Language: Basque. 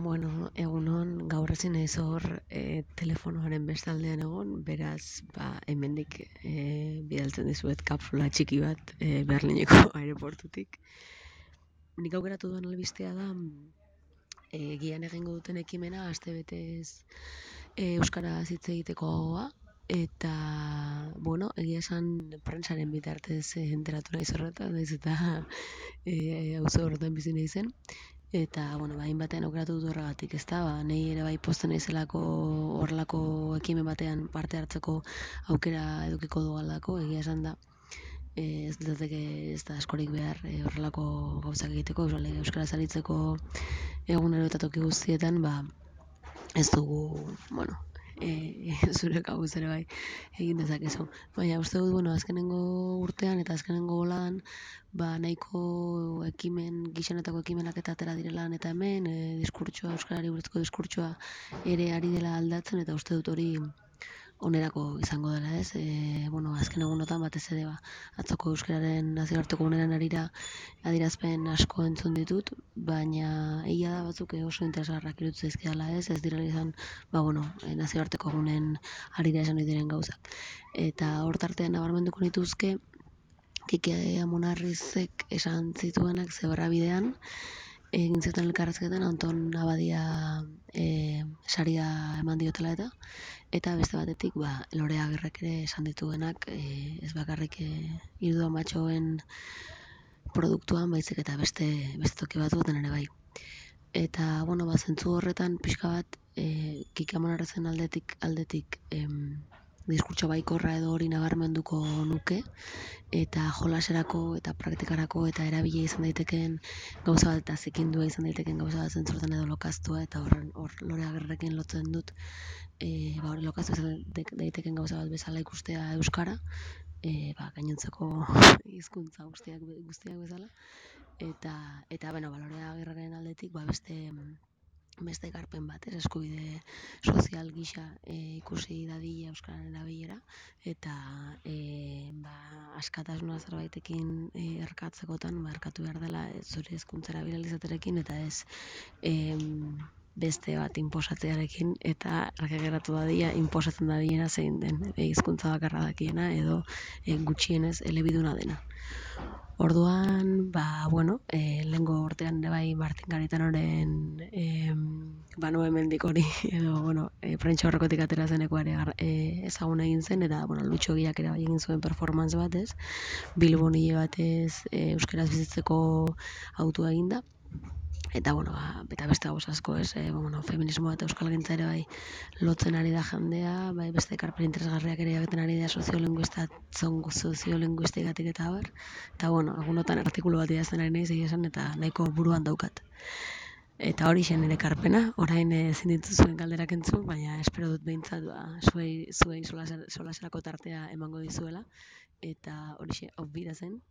Bueno, egunon, gaur ezin naiz hor telefonoaren bestaldean egon, beraz, hemendik bidaltzen dizuet kapsula txiki bat Berlineko aireportutik. Nik aukeratu duen albistea da, gian egingo duten ekimena, astebetez euskaraz hitz egiteko gogoa, eta, bueno, egia esan prentsaren bitartez enteratu naiz horretan, naiz eta auzo horretan bizi naizen. Eta, bueno, hainbatean aukeratu dut horregatik, ezta? Nei ere bai pozten naizelako horrelako ekimen batean parte hartzeko aukera edukiko dudalako, egia esan da. Ez litzateke ez da askorik behar horrelako gauzak egiteko, euskaraz aritzeko egunero eta toki guztietan, ez dugu, bueno, zure kabuz ere bai egin dezakezu. Baina uste dut, bueno, azkenengo urtean eta azkenengo boladan, nahiko gixenetako ekimenak eta atera direla eta hemen, euskarari buruzko diskurtsoa ere ari dela aldatzen, eta uste dut hori onerako izango dela, ez? Bueno, azken egunotan batez ere atzoko euskararen nazioarteko egunaren harira adierazpen asko entzun ditut, baina egia da batzuk oso interesgarrak iruditzen zaizkidala, ez direla izan, nazioarteko egunen harira esan diren gauzak. Eta hor tartean nabarmenduko nituzke Kike Amonarrizek esan zituenak Zebrabidean, egin zuten elkarrezketan Anton Abadia saria eman diotela eta beste batetik Lore Agirrek ere esan dituenak, ez bakarrik Irdo Amatxoen produktuan, baizik eta beste toki batzuetan ere bai. Eta, bueno, zentzu horretan pixka bat Kike Amonarrizen aldetik diskurtso baikorra edo hori nabarmenduko nuke, eta jolaserako eta praktikarako eta erabile izan daitekeen gauza bat eta zikindua izan daitekeen gauza bat zentzurtan edo lokaztua, eta hor Lore Agirrekin lotzen dut, lokaztu izan daitekeen gauza bat bezala ikustea euskara, gainontzeko hizkuntza guztiak bezala, eta Lore Agirreren aldetik beste ekarpen bat, eskubide sozial gisa ikusi dadila euskararen erabilera, eta askatasuna zerbaitekin erkatzekotan, erkatu behar dela zure hizkuntza erabili izatearekin, eta ez beste bat inposatzearekin, eta argi geratu dadila inposatzen dabilena zein den hizkuntza bakarra dakiena edo gutxienez elebiduna dena. Orduan, lehengo urtean ere bai Martin Garitanoren banu hemendik hori, edo, prentsa horrekotik atera zeneko ere ezagun egin zen, eta, Lutxo Giak ere bai egin zuen performance batez, Bilbon hile batez euskaraz bizitzeko autua eginda, eta, eta beste gauz asko, ez, feminismoa eta euskalgintza ere bai lotzen ari da jendea, beste ekarpen interesgarriak ere egiten ari da soziolinguistikatik eta abar, eta, egunotan artikulu bat idazten ari naiz egia esan, eta nahiko buruan daukat. Eta hori zen nire ekarpena, orain ezin dituzuen galderak entzun, baina espero dut behintzat zuei solaserako tartea emango dizuela, eta hori hau bira zen.